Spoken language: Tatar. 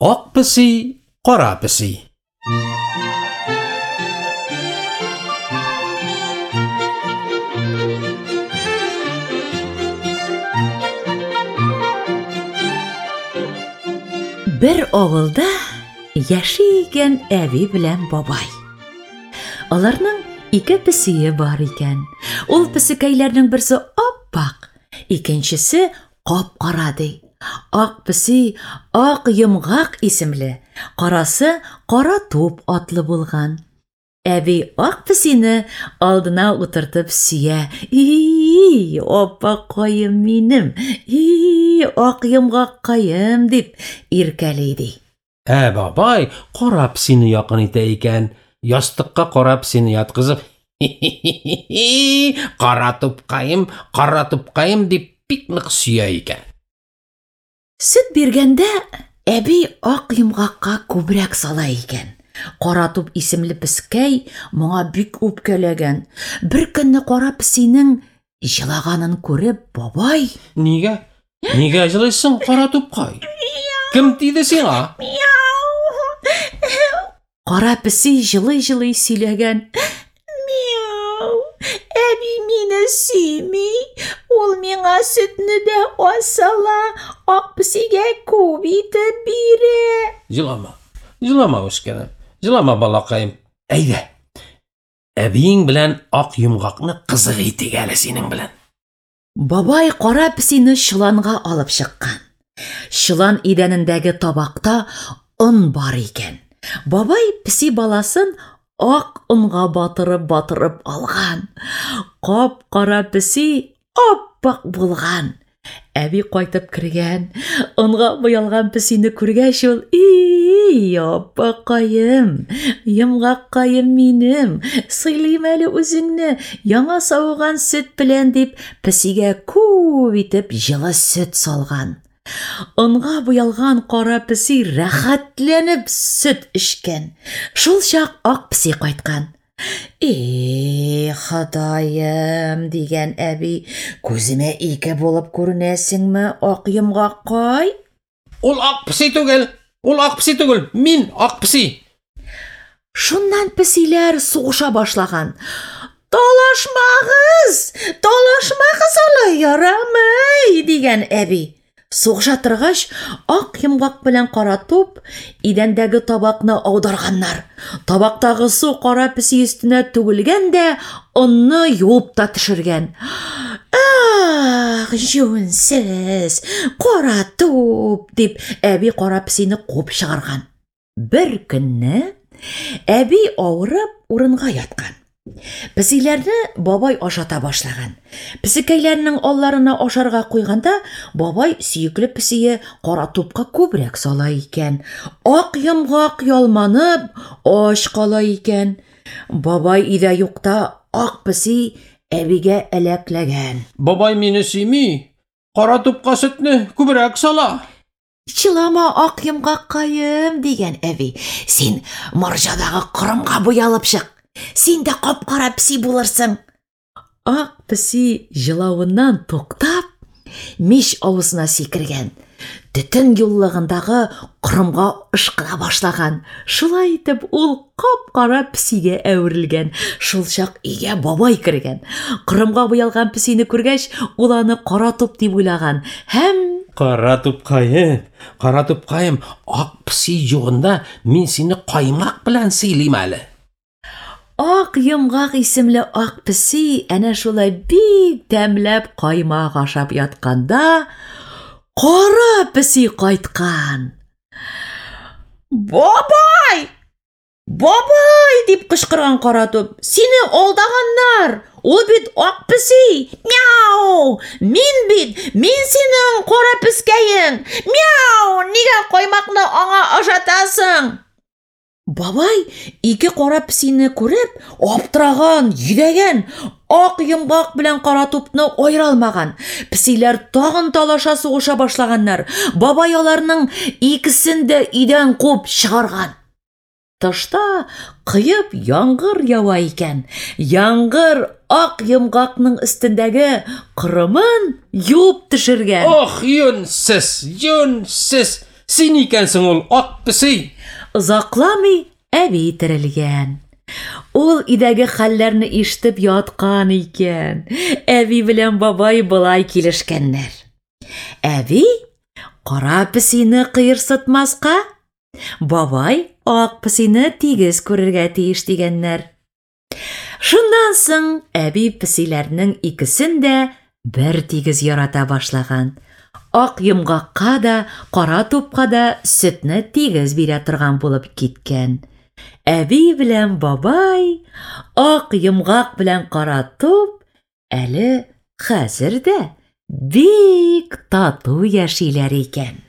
Ак песи, кара песи. Бер авылда яши икән әби белән бабай. Аларның ике песие бар икән. Ул песекәйләрнең берсе ап-ак, икенчесе кап-кара ди. Ак песи Ак йомгак исемле, карасы Кара туп атлы булган. Әби ак песине алдына утыртып сөя. И, апакаем минем, и, ак йомгаккаем, дип иркәли ди. Ә бабай кара песине якын итә икән. Ястыкка кара песине яткызып, хи-хи-хи, кара тупкаем, кара тупкаем дип бик нык сөя икән. Сөт биргәндә әби ак йомгакка күбрәк сала икән. Кара туп исемле пескәй моңа бик үпкәләгән. Бер көнне кара песинең җылаганын күреп, бабай: Нигә? Нигә җылыйсың, кара тупкай? Кем тиде сиңа? Кара песи җылый-җылый сөйләгән. Мяу! Әби мине сөйми. Ул миңа сөтне дә аз сала, ак песигә күп итеп бирә. Җылама. Җылама, үскәнем. Җылама, балакаем. Әйдә. Әбиең белән ак йомгакны кызык итик әле синең белән. Бабай кара песине чоланга алып чыккан. Чолан идәнендәге табакта он бар икән. Бабай песи баласын ак онга батырып-батырып алган. Кап-кара песи ап-ак булган. Әби кайтып кергән. Онга буялган песине күргәч ул, "И, апакаем, йомгаккаем минем, сыйлыйм әле үзеңне, яңа савыган сөт белән", дип, песигә күп итеп җылы сөт салган. Онга буялган кара песи рәхәтләнеп сөт эчкән. Шул чак ак песи кайткан. И, Ходаем, дигән әби, күземә ике булып күренәсеңме, ак йомгаккай? Ул ак песи түгел, ул ак песи түгел, мин ак песи. Шуннан песиләр сугыша башлаган. Талашмагыз, талашмагыз алай ярамый, дигән әби. Сугыша торгач, ак йомгак белән кара туп идәндәге табакны аударганнар. Табактагы су кара песи өстенә түгелгән дә, онны юып та төшергән. Ах, җүнсез, кара туп, дип әби кара песине куып чыгарган. Бер көнне әби авырып урынга яткан. Песиләрне бабай ашата башлаган. Песекәйләрнең алларына ашарга куйганда, бабай сөекле песие кара тупка күбрәк сала икән. Ак йомгак ялманып, ач кала икән. Бабай өйдә юкта ак песи әбигә әләкләгән. Бабай мине сөйми, кара тупка сөтне күбрәк сала. Чылама, ак йомгаккаем, дигән әби. Син морҗадагы корымга буялып чык. Син дә кап-кара песи булырсың. Ак песи җылавыннан туктап, мич авызына сикергән. Төтен юллыгындагы корымга ышкына башлаган. Шулай итеп ул кап-кара песигә әверелгән. Шул чак өйгә бабай кергән. Корымга буялган песине күргәч, ул аны кара туп дип уйлаган һәм Кара тупкаем, кара тупкаем, ак песи югында мин сине каймак белән сыйлыйм әле. Ак йомгак исемле ак песи әнә шулай бик тәмләп каймак ашап ятканда, кара песи кайткан. Бабай! Бабай! дип кычкырган кара туп. Сине алдаганнар! Ул бит ак песи! Мяу! Мин бит, мин синең кара пескәең! Мяу! Нигә каймакны аңа ашатасың? Бабай ике кара песине күреп, аптыраган, йөдәгән, ак йомгак белән кара тупны аера алмаган. Песиләр тагын талаша сугыша башлаганнар. Бабай аларның икесен дә өйдән куып чыгарган. Тышта коеп яңгыр ява икән. Яңгыр ак йомгакның өстендәге корымын юып төшергән. Ох, юньсез, юньсез! Син икәнсең ул ак песи! Озакламый әби терелгән. Ул өйдәге хәлләрне ишетеп яткан икән. Әби белән бабай болай килешкәннәр. Әби кара песине кыерсытмаска, бабай ак песине тигез күрергә тиеш дигәннәр. Шуннан соң әби песиләрнең икесен дә бер тигез ярата башлаган. Ак йомгакка да, кара тупка да сөтне тигез бирә торган булып киткән. Әби белән бабай, ак йомгак белән кара туп әле хәзер дә бик тату яшиләр икән.